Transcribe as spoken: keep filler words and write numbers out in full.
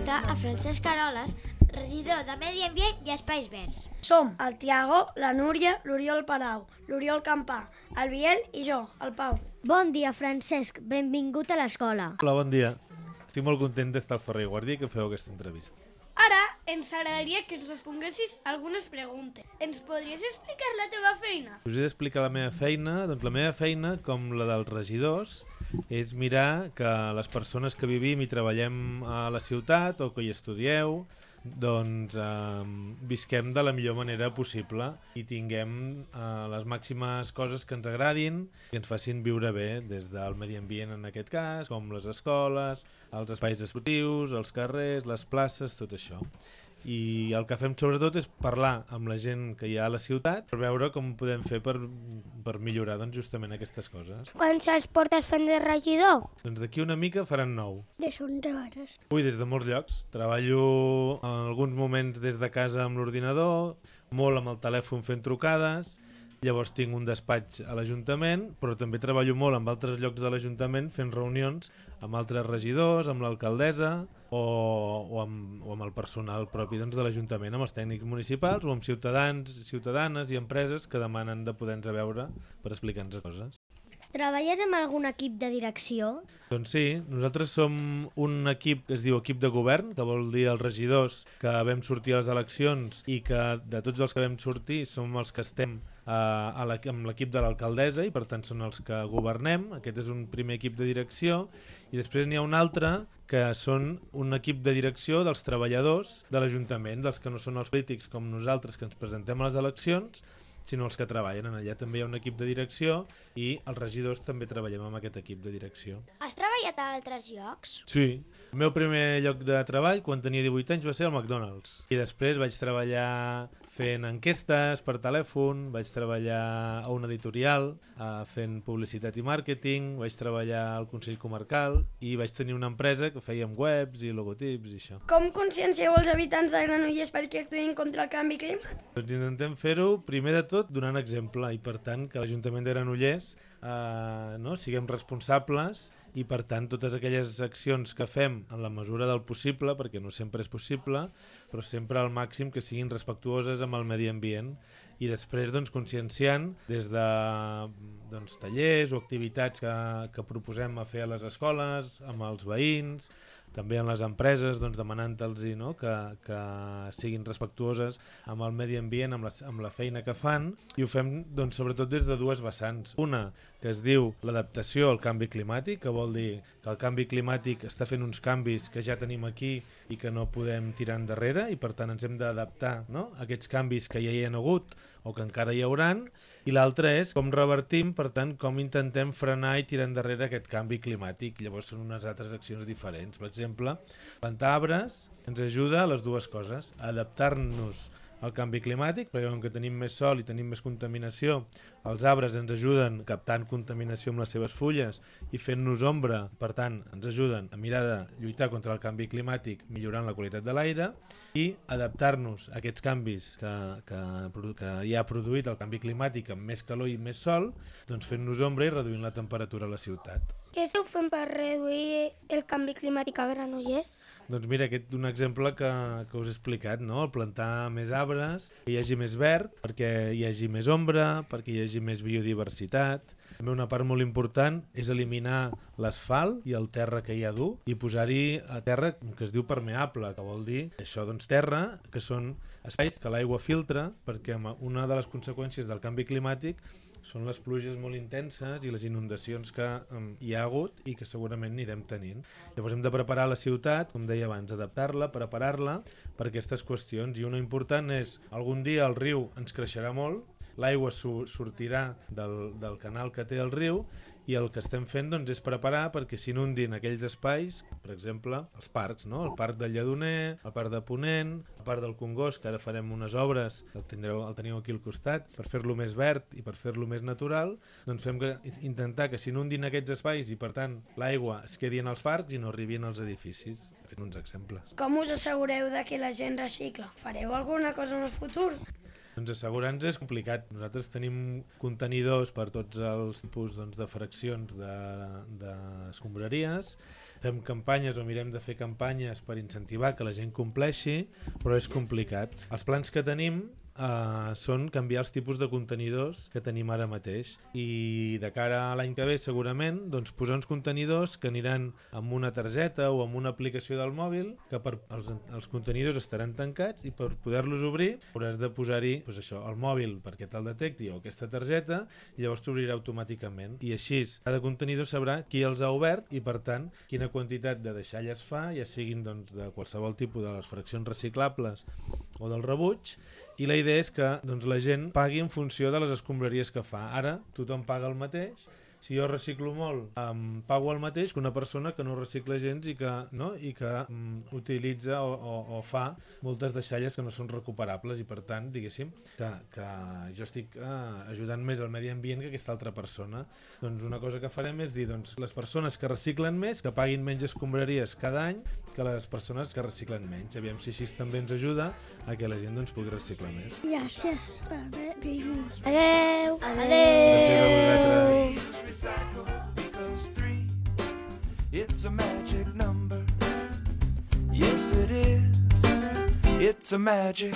entrevista a Francesc Caroles, regidor de Medi Ambient i Espais Verds. Som el Tiago, la Núria, l'Oriol Palau, l'Oriol Campà, el Biel i jo, el Pau. Bon dia, Francesc. Benvingut a l'escola. Hola, bon dia. Estic molt content d'estar al Ferrer i Guàrdia que feu aquesta entrevista. Ara ens agradaria que ens responguessis algunes preguntes. Ens podries explicar la teva feina? Us he d'explicar la meva feina. Doncs la meva feina, com la dels regidors, és mirar que les persones que vivim i treballem a la ciutat o que hi estudieu, doncs eh, visquem de la millor manera possible i tinguem eh, les màximes coses que ens agradin i que ens facin viure bé, des del medi ambient en aquest cas, com les escoles, els espais esportius, els carrers, les places, tot això. I el que fem sobretot és parlar amb la gent que hi ha a la ciutat per veure com podem fer per, per millorar doncs, justament aquestes coses. Quants anys portes fent de regidor? Doncs d'aquí una mica faran nou. De són hores. Ui, des de molts llocs. Treballo en alguns moments des de casa amb l'ordinador, molt amb el telèfon fent trucades, llavors tinc un despatx a l'Ajuntament, però també treballo molt en altres llocs de l'Ajuntament fent reunions amb altres regidors, amb l'alcaldessa o, o, amb, o amb el personal propi doncs, de l'Ajuntament, amb els tècnics municipals o amb ciutadans, ciutadanes i empreses que demanen de poder-nos veure per explicar-nos coses. Treballes amb algun equip de direcció? Doncs sí, nosaltres som un equip que es diu equip de govern, que vol dir els regidors que vam sortir a les eleccions i que de tots els que vam sortir som els que estem eh, a amb l'equip de l'alcaldessa i per tant són els que governem. Aquest és un primer equip de direcció i després n'hi ha un altre que són un equip de direcció dels treballadors de l'Ajuntament, dels que no són els polítics com nosaltres que ens presentem a les eleccions, sinó els que treballen. Allà també hi ha un equip de direcció i els regidors també treballem amb aquest equip de direcció. Has treballat a altres llocs? Sí. El meu primer lloc de treball, quan tenia divuit anys, va ser al McDonald's. I després vaig treballar fent enquestes per telèfon, vaig treballar a una editorial eh, fent publicitat i màrqueting, vaig treballar al Consell Comarcal i vaig tenir una empresa que fèiem webs i logotips i això. Com consciencieu els habitants de Granollers perquè actuïn contra el canvi climàtic? Doncs intentem fer-ho, primer de tot, donant exemple i per tant que l'Ajuntament de Granollers eh, no, siguem responsables i per tant totes aquelles accions que fem en la mesura del possible, perquè no sempre és possible, però sempre al màxim que siguin respectuoses amb el medi ambient i després doncs, conscienciant des de doncs, tallers o activitats que, que proposem a fer a les escoles, amb els veïns, també en les empreses, doncs, demanant-los no? que, que siguin respectuoses amb el medi ambient, amb la, amb la feina que fan, i ho fem doncs, sobretot des de dues vessants. Una, que es diu l'adaptació al canvi climàtic, que vol dir que el canvi climàtic està fent uns canvis que ja tenim aquí i que no podem tirar endarrere, i per tant ens hem d'adaptar no? a aquests canvis que ja hi ha hagut o que encara hi hauran, i l'altre és com revertim, per tant, com intentem frenar i tirar endarrere aquest canvi climàtic. Llavors són unes altres accions diferents. Per exemple, plantar arbres ens ajuda a les dues coses, a adaptar-nos al canvi climàtic, perquè com que tenim més sol i tenim més contaminació, els arbres ens ajuden captant contaminació amb les seves fulles i fent-nos ombra, per tant, ens ajuden a mirar de lluitar contra el canvi climàtic millorant la qualitat de l'aire i adaptar-nos a aquests canvis que, que, que ja ha produït el canvi climàtic amb més calor i més sol, doncs fent-nos ombra i reduint la temperatura a la ciutat. Què esteu fent per reduir el canvi climàtic a Granollers? Doncs mira, aquest és un exemple que, que us he explicat, no? El plantar més arbres, que hi hagi més verd, perquè hi hagi més ombra, perquè hi hagi més biodiversitat. També una part molt important és eliminar l'asfalt i el terra que hi ha dur i posar-hi a terra que es diu permeable, que vol dir això, doncs terra, que són espais que l'aigua filtra, perquè una de les conseqüències del canvi climàtic són les pluges molt intenses i les inundacions que um, hi ha hagut i que segurament anirem tenint. Llavors hem de preparar la ciutat, com deia abans, adaptar-la, preparar-la per aquestes qüestions. I una important és, algun dia el riu ens creixerà molt, l'aigua sortirà del, del canal que té el riu i el que estem fent doncs, és preparar perquè s'inundin aquells espais, per exemple, els parcs, no? El parc del Lledoner, el parc de Ponent, el parc del Congost, que ara farem unes obres, el, tindreu, el teniu aquí al costat, per fer-lo més verd i per fer-lo més natural, doncs fem que, intentar que s'inundin aquests espais i, per tant, l'aigua es quedi en els parcs i no arribi als edificis. Uns exemples. Com us assegureu de que la gent recicla? Fareu alguna cosa en el futur? Doncs assegurar-nos és complicat. Nosaltres tenim contenidors per tots els tipus doncs, de fraccions d'escombraries, de, fem campanyes o mirem de fer campanyes per incentivar que la gent compleixi, però és complicat. Els plans que tenim Uh, són canviar els tipus de contenidors que tenim ara mateix i de cara a l'any que ve segurament doncs, posar uns contenidors que aniran amb una targeta o amb una aplicació del mòbil que per, els, els contenidors estaran tancats i per poder-los obrir hauràs de posar-hi doncs això, el mòbil perquè te'l detecti o aquesta targeta i llavors t'obrirà automàticament i així cada contenidor sabrà qui els ha obert i per tant quina quantitat de deixalles fa, ja siguin doncs, de qualsevol tipus de les fraccions reciclables o del rebuig. I la idea és que doncs, la gent pagui en funció de les escombraries que fa. Ara tothom paga el mateix. Si jo reciclo molt, um, pago el mateix que una persona que no recicla gens i que, no? I que um, utilitza o, o, o fa moltes deixalles que no són recuperables i per tant, diguéssim, que, que jo estic uh, ajudant més al medi ambient que aquesta altra persona. Doncs una cosa que farem és dir, doncs, les persones que reciclen més, que paguin menys escombraries cada any que les persones que reciclen menys. Aviam si així també ens ajuda a que la gent doncs, pugui reciclar més. Gràcies per haver-nos. Adeu. Gràcies a vosaltres. Recycle equals three. It's a magic number. Yes, it is. It's a magic